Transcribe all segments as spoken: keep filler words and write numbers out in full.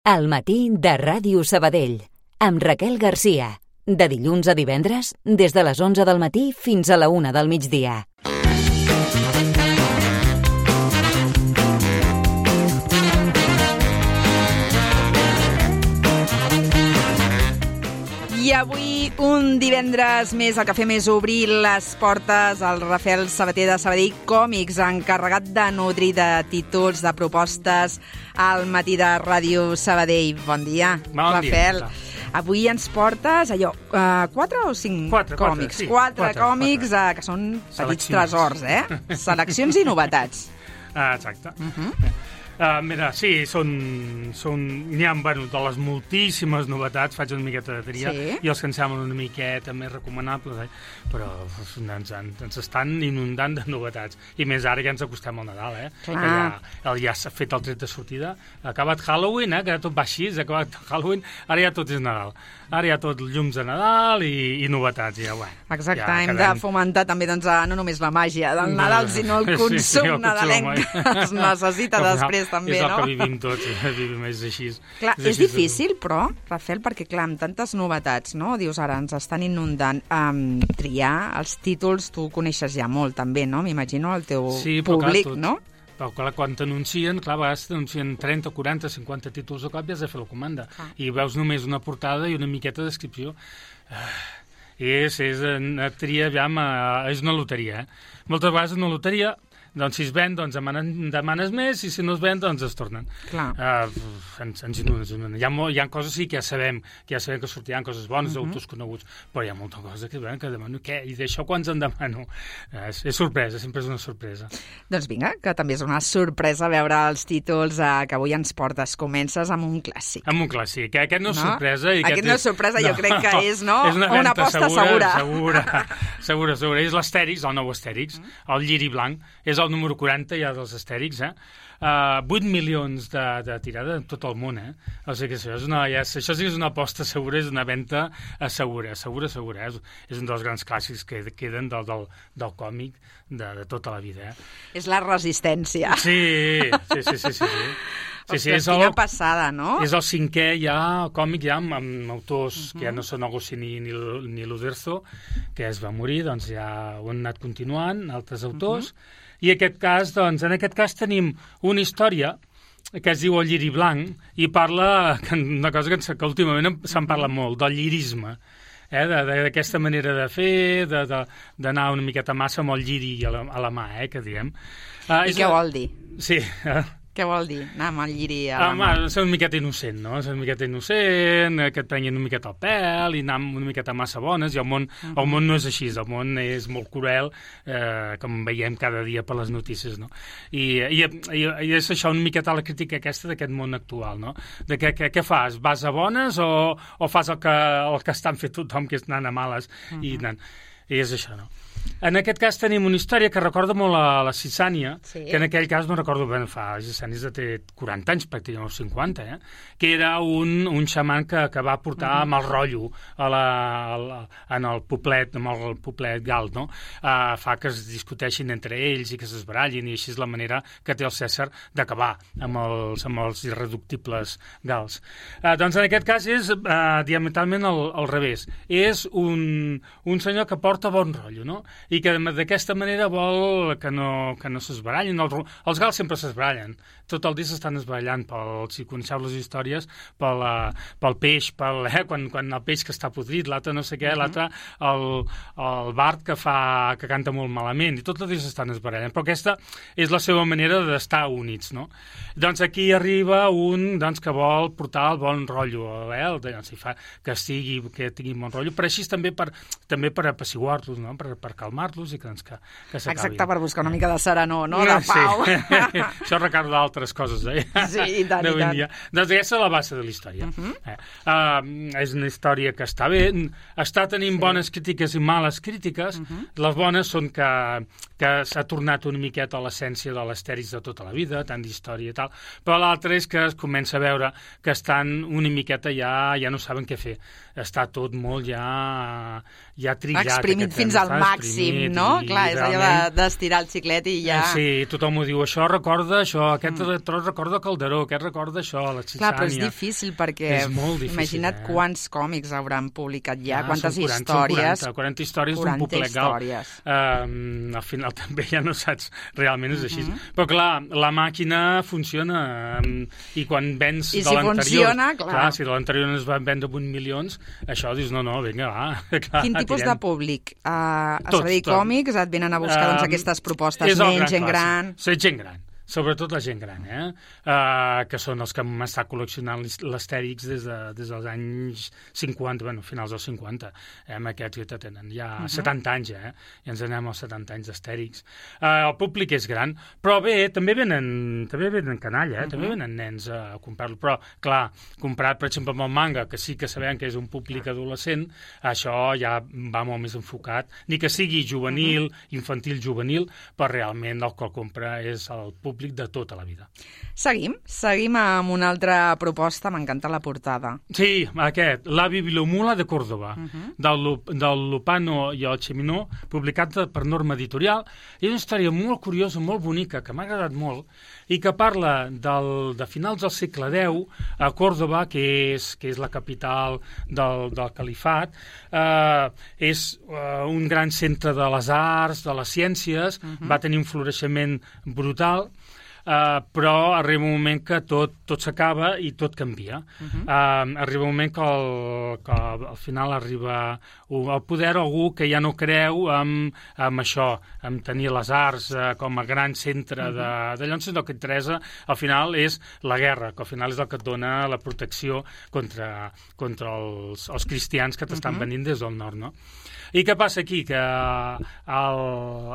Al matí de Ràdio Sabadell, amb Raquel Garcia. De dilluns a divendres, des de les onze del matí fins a la una del migdia. I avui, un divendres més, el que fem és obrir les portes al Rafael Sabater de Sabadell Còmics, encarregat de nodrir de títols, de propostes al matí de Ràdio Sabadell. Bon dia, bon Rafael. Dia. Avui ens portes allò, uh, quatre o cinc quatre, còmics? Quatre, sí. quatre, quatre còmics quatre. Uh, que són petits tresors, eh? Seleccions i novetats. Ah, exacte. Uh-huh. Uh, mira, sí, són, són, n'hi ha, bueno, de les moltíssimes novetats, faig una miqueta de tria, sí. I els que em semblen una miqueta més recomanables, eh? Però ens, ens estan inundant de novetats. I més ara ja ens acostem al Nadal, eh? Ah. Que ja, ja s'ha fet el tret de sortida, ha acabat Halloween, eh? Que tot va així, ha acabat Halloween, ara ja tot és Nadal. Ara hi ha tot llums de Nadal i, i novetats. Ja, bueno, exacte, ja hem quedem... de fomentar també doncs, no només la màgia del Nadal, sinó el consum sí, sí, el nadalenc consum, que es necessita després també, és no? És el que vivim tots, vivim més així. Clar, és, és així, difícil, però, Rafael, perquè clar, amb tantes novetats, no? Dius, ara ens estan inundant. Um, triar els títols, tu coneixes ja molt també, no? M'imagino el teu sí, públic, clar, no? Però clar, quan t'anuncien, clar, a vegades t'anuncien trenta, quaranta, cinquanta títols de cop i has de fer la comanda. Ah. I veus només una portada i una miqueta de descripció. Uh, és, és una tria, aviam, uh, és una loteria, eh? Moltes vegades una loteria, doncs si es ven, doncs demanen, demanes més, i si no es ven, doncs es tornen. Clar. Uh, ens, ens inunden. Hi ha, hi ha coses sí que ja sabem, que ja sabem que sortiran coses bones, uh-huh. d'autors coneguts, però hi ha molta cosa que, bueno, que demano, què? I d'això quants en demano? Uh, és, és sorpresa, sempre és una sorpresa. Doncs vinga, que també és una sorpresa veure els títols uh, que avui ens portes. Comences amb un clàssic. Amb un clàssic. Aquest no és no? sorpresa. I aquest, aquest no és sorpresa, no, jo crec que és, no? És una, una aposta segura. Segura, segura, segura. És l'Astèrix, el nou Astèrix, uh-huh. el lliri blanc. És el número quaranta ja dels Astèrix, eh? Uh, vuit milions de, de tirada en tot el món, eh? O sigui que això, és una, ja, això sí que és una aposta segura, és una venda segura, segura, segura. Eh? És, és un dels grans clàssics que queden del, del, del còmic de, de tota la vida, eh? És la resistència. Sí, sí, sí, sí, sí. sí. Sí, sí, és quina el, passada, no? És el cinquè ja còmic ja amb, amb autors uh-huh. que ja no són Agostini ni, ni l'Uderzo, que es va morir, doncs ja ho han anat continuant, altres autors, uh-huh. i aquest cas, doncs, en aquest cas tenim una història que es diu El lliri blanc, i parla, una cosa que, que últimament se'n parla molt, del llirisme, eh, d'aquesta manera de fer, d'anar una miqueta massa amb el lliri a la, a la mà, eh, que diem. Uh, I què vol dir? Sí, eh? Què vol dir? Anar amb el lliri a la ah, mà? Ser una miqueta innocent, no? Ser una miqueta innocent, que et prenguin una miqueta el pèl, i anar una miqueta massa bones, i el món, uh-huh. el món no és així, el món és molt cruel, eh, com veiem cada dia per les notícies, no? I, i, i, i és això una miqueta la crítica aquesta d'aquest món actual, no? De què, què, què fas? Vas a bones o, o fas el que, el que estan fent tothom, que és anant a males? Uh-huh. I, anant, I és això, no? En aquest cas tenim una història que recorda molt a la Sisània, sí. que en aquell cas no recordo ben, fa Sisània de quaranta anys, pràcticament cinquanta, eh? que era un, un xaman que, que va portar uh-huh. amb el rotllo a la, a la, en el poblet, amb el poblet gal, no? Uh, fa que es discuteixin entre ells i que s'esbarallin, i així és la manera que té el Cèsar d'acabar amb els, amb els irreductibles gals. Uh, doncs en aquest cas és uh, diametralment al, al revés. És un, un senyor que porta bon rotllo, no? I que d'aquesta manera vol que no, que no s'esbarallin. Els, els gals sempre s'esbarallen. Tot el dia s'estan esbarallant, pel, si coneixeu les històries, pel, pel peix, pel, eh, quan, quan el peix que està podrit, l'altre no sé què, uh-huh. l'altre el, el bard que, fa, que canta molt malament, i tot el dia s'estan esbarallant. Però aquesta és la seva manera d'estar units, no? Doncs aquí arriba un doncs, que vol portar el bon rotllo, eh? el, doncs, fa, que, estigui, que tingui bon rotllo, però així també per, també per apaciguar-los, no? per, per calmar-los i que, doncs, que, que s'acabin. Exacte, per buscar una mica de serenor, no? De pau. Sí. Això recorda d'altres coses, eh? Sí, i tant, i tant. Doncs aquesta és la base de la història. Uh-huh. eh? uh, és una història que està bé, està tenint sí. bones crítiques i males crítiques. Uh-huh. Les bones són que, que s'ha tornat una miqueta a l'essència de l'Astèrix de tota la vida, tant d'història i tal, però l'altre és que es comença a veure que estan una miqueta ja, ja no saben què fer. Està tot molt ja, ja trillat. Exprimit fins al màxim. claríssim, no? i, Clar, és allò d'estirar el xiclet i ja... Eh, sí, tothom ho diu, això recorda això, aquest mm. tros recorda Calderó, aquest recorda això, la Xixània... Clar, però és difícil perquè... És molt difícil, imagina't eh? quants còmics hauran publicat ja, ah, quantes quaranta, històries... quaranta, quaranta històries d'un poblet gal. Uh, al final també ja no saps, realment és així. Uh -huh. Però clar, la màquina funciona um, i quan vens I de si l'anterior... funciona, clar. clar. Si de l'anterior no es van vendre vuit milions, això dius, no, no, vinga, va. Clar, Quin tipus tirem. de públic? Uh, a Tot, Sabadell tot. Còmics et venen a buscar doncs, aquestes propostes, nens, gent gran... Sí, gent gran. Sobretot la gent gran, eh? Uh, que són els que hem estat col·leccionant l'Astèrix des, de, des dels anys cinquanta, bueno, finals dels cinquanta. Eh? Amb aquests que tenen ja uh -huh. setanta anys, eh? I ens anem als setanta anys d'Astèrix. Uh, el públic és gran, però bé, també venen, també venen canalla, eh? Uh -huh. També venen nens a comprar-lo. Però, clar, comparat, per exemple, amb el manga, que sí que sabem que és un públic adolescent, això ja va molt més enfocat. Ni que sigui juvenil, uh -huh. infantil, juvenil, però realment el que el compra és el públic de tota la vida. Seguim, seguim amb una altra proposta, m'encanta la portada. Sí, aquest, La Bibliomula de Córdoba, uh -huh. del, del Lupano i el Cheminó, publicat per Norma Editorial. És una història molt curiosa, molt bonica, que m'ha agradat molt, i que parla del, de finals del segle deu a Córdoba, que és, que és la capital del, del califat. Eh, és eh, un gran centre de les arts, de les ciències, uh -huh. va tenir un floreixement brutal, Uh, però arriba un moment que tot, tot s'acaba i tot canvia. Uh -huh. uh, arriba un moment que, el, que al final arriba al poder algú que ja no creu en, en això, en tenir les arts uh, com a gran centre uh -huh. de, de llavors el que interessa al final és la guerra, que al final és el que et dona la protecció contra, contra els, els cristians que t'estan uh -huh. venint des del nord, no? I què passa aquí? Que al,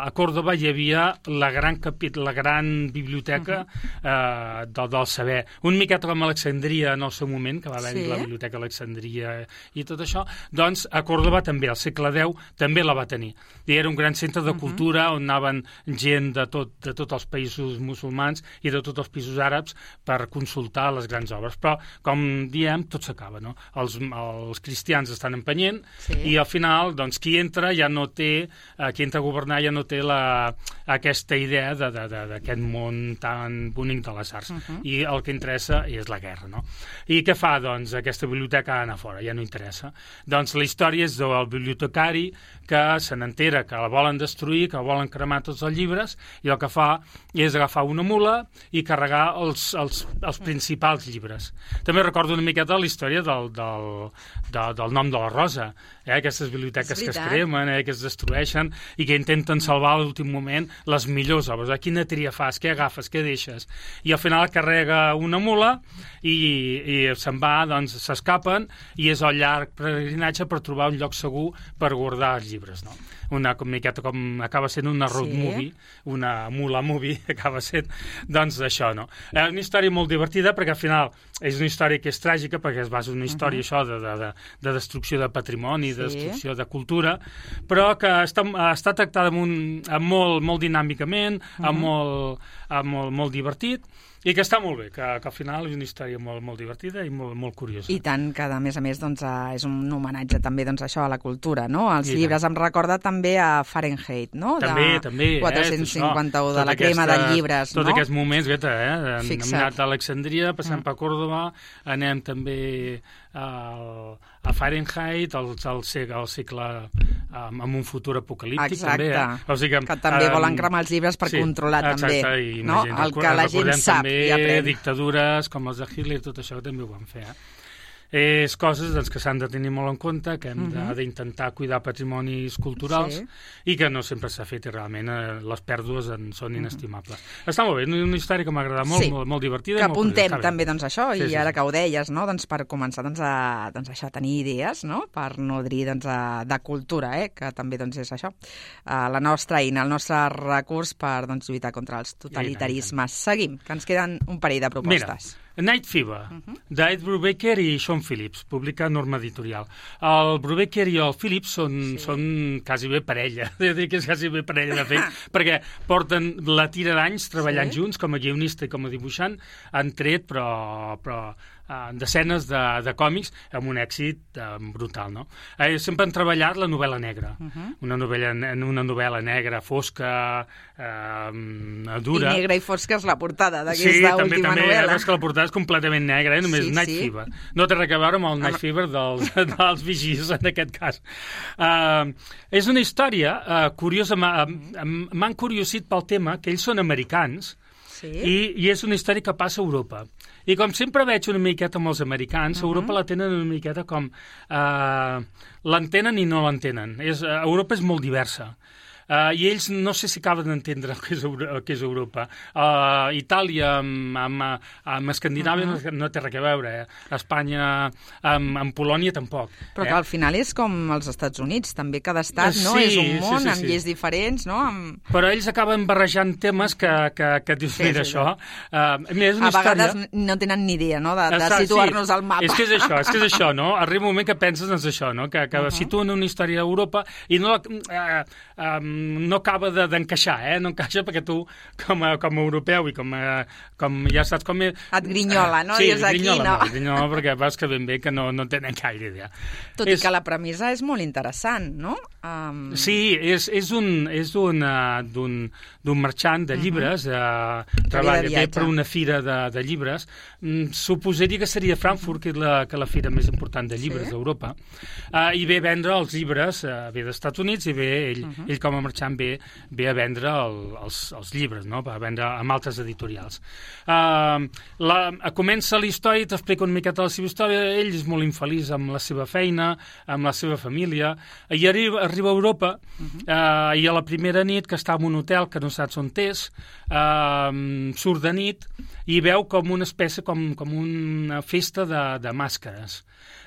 a Còrdoba hi havia la gran, capit la gran biblioteca uh -huh. eh, del, del saber. Un miqueta com Alexandria en el seu moment, que va haver-hi sí. la biblioteca Alexandria i tot això, doncs a Còrdoba també, al segle deu, també la va tenir. I era un gran centre de cultura uh -huh. on anaven gent de, tot, de tots els països musulmans i de tots els països àrabs per consultar les grans obres. Però, com diem, tot s'acaba, no? Els, els cristians estan empenyent sí. i al final, doncs, qui entra ja no té, eh, qui entra a governar ja no té la, aquesta idea d'aquest món tan bonic de les arts. Uh -huh. I el que interessa és la guerra, no? I què fa, doncs, aquesta biblioteca ha d'anar fora, ja no interessa. Doncs la història és del bibliotecari que se n'entera que la volen destruir, que volen cremar tots els llibres, i el que fa és agafar una mula i carregar els, els, els principals llibres. També recordo una miqueta la història del, del, del, del nom de la Rosa, eh? Aquestes biblioteques que es cremen, eh? que es destrueixen i que intenten salvar a l'últim moment les millors obres. Eh? Quina tria fas? Què agafes? Què deixes? I al final carrega una mula i, i se'n va, doncs s'escapen i és el llarg peregrinatge per trobar un lloc segur per guardar els llibres, no? Una miqueta com acaba sent una road sí. movie, una mula movie, acaba sent, doncs això, no? És una història molt divertida perquè al final és una història que és tràgica perquè es basa en una història uh -huh. això de, de, de, de destrucció de patrimoni, sí. de destrucció de cultura, però que està, està tractada amb un, amb molt, molt dinàmicament, uh -huh. amb, molt, amb molt, molt divertit, i que està molt bé, que, que al final és una història molt, molt divertida i molt, molt curiosa. I tant, que a més a més doncs, és un homenatge també doncs, això a la cultura, no? Els I llibres tant. Em recorda també a Fahrenheit, no? També, de també. quatre-cents cinquanta-u, eh, de la crema aquesta, de llibres, tots no? Tots aquests moments, Greta, eh? Hem Fixa't. anat a Alexandria, passem mm. per Còrdoba, anem també a, a Fahrenheit, al, al, segle, al segle um, amb un futur apocalíptic. Exacte, també, eh? O sigui que, que també um, volen cremar els llibres per sí, controlar exacte, també, i no? gent, El que la gent sap també i aprèn. Dictadures com els de Hitler, tot això també ho van fer, eh? És coses doncs, que s'han de tenir molt en compte, que hem uh -huh. d'intentar cuidar patrimonis culturals sí. i que no sempre s'ha fet i realment eh, les pèrdues en són inestimables. Uh -huh. Està molt bé, una història que m'agrada molt, sí. molt, molt divertida. Que molt apuntem curiosa, també doncs, això, sí, i sí, ara sí. que ho deies, no? doncs, per començar doncs, a, doncs, això, a tenir idees no? per nodrir doncs, a, de cultura, eh? que també doncs, és això, uh, la nostra eina, el nostre recurs per doncs, lluitar contra els totalitarismes. Seguim, que ens queden un parell de propostes. Mira. Night Fever, uh -huh. d'Ed Brubaker i Sean Phillips, publica Norma Editorial. El Brubaker i el Phillips són, sí. són quasi bé parella, he de dir que és quasi bé parella de fet, perquè porten la tira d'anys treballant sí. junts, com a guionista i com a dibuixant, han tret, però, però uh, desenes de, de còmics amb un èxit uh, brutal, no? Eh, sempre han treballat la novel·la negra, uh-huh. una, novel·la, una novel·la negra fosca, uh, dura. I negra i fosca és la portada d'aquesta sí, última també, també, novel·la. Sí, que la portada és completament negra, eh? Només sí, Night sí. Fever. No té res a veure amb el Night Fever dels, dels vigis, en aquest cas. Uh, és una història uh, curiosa, m'han curiosit pel tema, que ells són americans, sí. i, i és una història que passa a Europa. I com sempre veig una miqueta amb els americans, uh-huh. Europa la tenen una miqueta com... Uh, l'entenen i no l'entenen. És, uh, Europa és molt diversa. Uh, I ells no sé si acaben d'entendre el que és, Euro que és Europa. Uh, Itàlia amb, amb, amb Escandinàvia uh -huh. no, no té res a veure. Eh? Espanya amb, amb Polònia tampoc. Però eh? que al final és com els Estats Units. També cada estat no? Sí, és un món sí, sí, amb sí. lleis diferents. No? Amb... Però ells acaben barrejant temes que, que, que et dius, sí, mira, sí, això... Uh, mira, és una a vegades història... no tenen ni idea no? de, de Exacte, situar-nos sí. al mapa. És que és això, és que és això, no? Arriba un moment que penses, doncs, això, no? Que, que uh -huh. situen una història a Europa i no, uh, um, no acaba d'encaixar, eh? No encaixa perquè tu, com a, com a europeu i com, a, com ja saps com... Et grinyola, no? Sí, I és aquí, grinyola, no? no, grinyola perquè veus que ben bé que no, no tenen gaire idea. Tot és... i que la premissa és molt interessant, no? Um... Sí, és, és un, és un, uh, d'un marxant de llibres, uh -huh. uh, treballa bé per una fira de, de llibres. Mm, suposaria que seria Frankfurt, que és la, que la fira més important de llibres sí? d'Europa, uh, i ve a vendre els llibres, uh, ve dels Estats Units, i ve ell, uh -huh. ell com a marxant ve, ve a vendre el, els, els llibres, no? Va vendre amb altres editorials. Uh, la, comença la història i t'explica una miqueta la seva història. Ell és molt infeliç amb la seva feina, amb la seva família, i arriba, arriba a Europa, uh-huh. uh, i a la primera nit, que està en un hotel que no saps on és, uh, surt de nit i veu com una espècie, com, com una festa de, de màscares,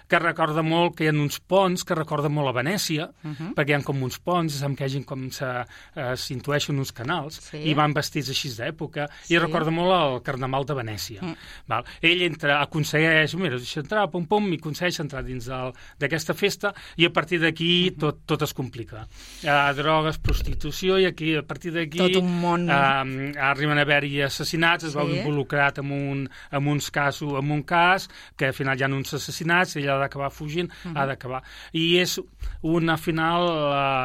que recorda molt, que hi ha uns ponts, que recorda molt a Venècia, uh-huh. perquè hi ha com uns ponts, amb que hagin com s'intueixen uh, uns canals, sí. i van vestits així d'època, sí. i recorda molt el Carnaval de Venècia. Uh-huh. Val? Ell entra, aconsegueix, mira, deixa entrar, pum, pum, i aconsegueix entrar dins d'aquesta festa, i a partir d'aquí uh-huh. tot, tot es complica. Uh, drogues, prostitució, i aquí, a partir d'aquí... Tot un món... Uh, arriben a haver-hi assassinats, es sí. veu involucrat en, un, en uns casos, en un cas, que al final hi ha uns assassinats, ella ha d'acabar fugint, uh-huh. ha d'acabar. I és una final,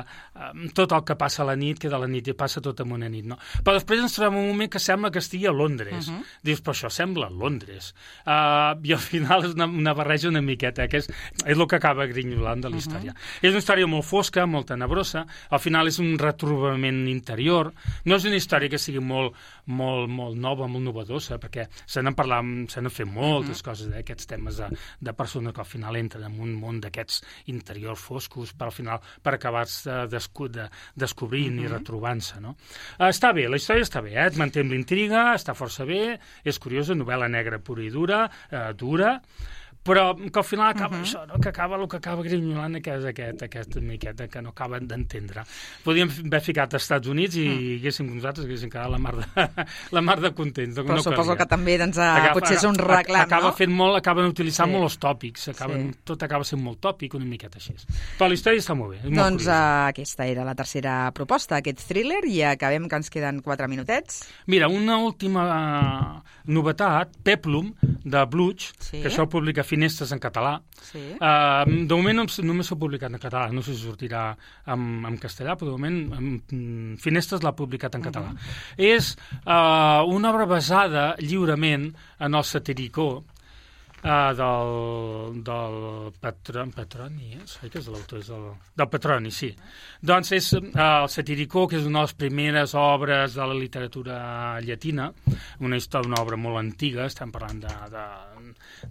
uh, tot el que passa a la nit, que de la nit i passa tot en una nit, no? Però després ens trobem un moment que sembla que estigui a Londres. Uh-huh. Dius, però això sembla a Londres. Uh, I al final és una, una barreja una miqueta, que és, és el que acaba grinyolant de la història. Uh-huh. És una història molt fosca, molt tenebrosa, al final és un retrobament interior, no és una història que sigui molt, molt, molt nova, molt novedosa, perquè se n'han parlat, se n'han fet moltes uh-huh. coses, eh, aquests temes de, de persones que al final entren en un món d'aquests interiors foscos per al final, per acabar-se de, descu de, descobrint uh-huh. i retrobant-se, no? Uh, està bé, la història està bé, eh? Et manté amb l'intriga, està força bé, és curiosa, novel·la negra pura i dura, uh, dura, però que al final acaba uh -huh. això, no? Que acaba el que acaba grinyolant, que és aquest, aquesta miqueta que no acaben d'entendre. Podríem haver ficat als Estats Units i uh. haguéssim nosaltres haguéssim quedat la mar de, la mar de contents. Però no suposo que també doncs, agafa, potser és un reclam, acaba no? fent molt, acaben utilitzant sí. molt els tòpics, acaben, sí. tot acaba sent molt tòpic, una miqueta així. Però la història està molt bé. És molt doncs uh, aquesta era la tercera proposta, aquest thriller, i acabem que ens queden quatre minutets. Mira, una última uh, novetat, Peplum, de Bluch, sí. que això publica Finestres en català. Sí. Uh, de moment només, només s'ha publicat en català, no sé si sortirà en, en castellà, però de moment en, Finestres l'ha publicat en català. Uh -huh. És uh, una obra basada lliurement en el Satiricó, Uh, del, del Patron, Petroni, eh? Sé que és l'autor, és el, del Petroni, sí. Doncs és uh, el Satiricó, que és una de les primeres obres de la literatura llatina, una història, una obra molt antiga, estem parlant de, de,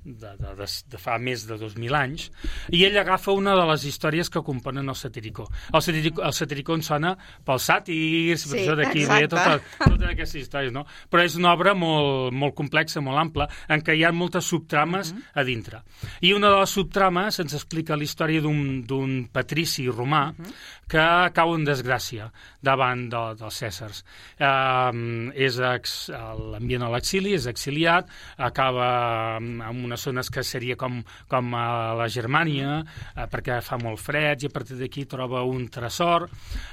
de, de, de, de fa més de dos mil anys, i ell agafa una de les històries que componen el Satiricó. El Satiricó, el Satiricó ens sona pels sàtirs, sí, per això d'aquí ve totes, totes aquestes històries, no? Però és una obra molt, molt complexa, molt ampla, en què hi ha moltes subtrames a dintre. I una de les subtrames ens explica la història d'un patrici romà uh -huh. que cau en desgràcia davant de, dels Cèsars. Uh, és l'ambient a l'exili, és exiliat, acaba en unes zones que seria com, com a la Germània, uh, perquè fa molt fred, i a partir d'aquí troba un tresor,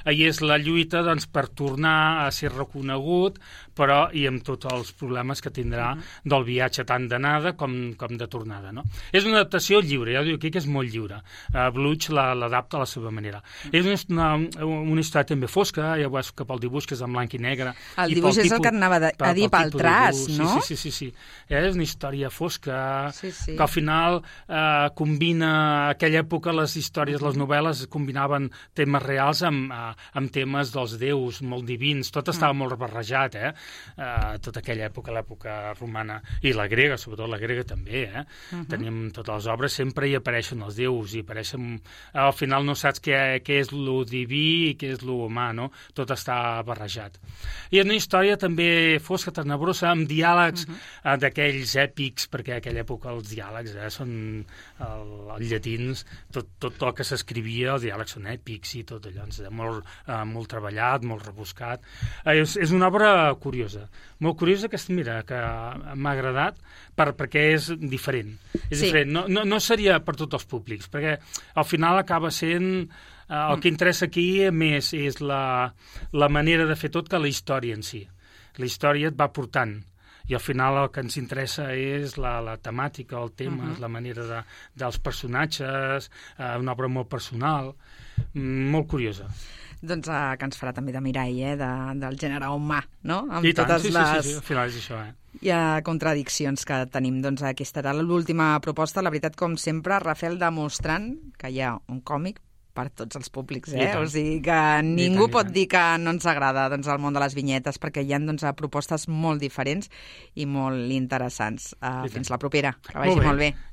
uh, i és la lluita doncs, per tornar a ser reconegut, però i amb tots els problemes que tindrà uh -huh. del viatge tant d'anada com, com de tornada, no? És una adaptació lliure, ja ho dic aquí que és molt lliure. Uh, Bluch l'adapta a la seva manera. És una, una història també fosca, ja veus que pel dibuix, que és en blanc i negre. El dibuix és el que anava de, a dir pel traç, no? Sí, sí, sí, sí. És una història fosca, sí, sí. que al final eh, combina, a aquella època les històries, les novel·les combinaven temes reals amb, amb temes dels déus molt divins, tot estava mm. molt barrejat, eh? Uh, tota aquella època, l'època romana, i la grega, sobretot la grega també, eh? Uh-huh. Teníem totes les obres, sempre hi apareixen els déus, i apareixen... Al final no saps què, què és lo diví i què és lo humà, no? Tot està barrejat. I és una història també fosca, tenebrosa, amb diàlegs uh-huh. uh, d'aquells èpics, perquè a aquella època els diàlegs eh, són el, els llatins, tot, tot el que s'escrivia, els diàlegs són èpics i tot allò, és molt, uh, molt treballat, molt rebuscat. Uh, és, és una obra curiosa, molt curiosa que, mira, que m'ha agradat per, perquè és diferent. És sí. diferent. No, no, no seria per tots els públics, perquè al final acaba sent... Uh, el que interessa aquí més és la, la manera de fer tot que la història en si. La història et va portant, i al final el que ens interessa és la, la temàtica, el tema, uh-huh. la manera de, dels personatges, uh, una obra molt personal, molt curiosa. Doncs uh, que ens farà també de mirall, eh, de, del gènere humà, no? Amb I tant, totes sí, les... sí, sí, sí, al final és això, eh? Hi ha contradiccions que tenim. Doncs aquesta era l'última proposta. La veritat, com sempre, Rafael demostrant que hi ha un còmic per tots els públics, eh? O sigui que ningú tant, pot dir que no ens agrada doncs, el món de les vinyetes, perquè hi ha doncs, propostes molt diferents i molt interessants. Uh, fins la propera. Que vagi molt bé. Molt bé.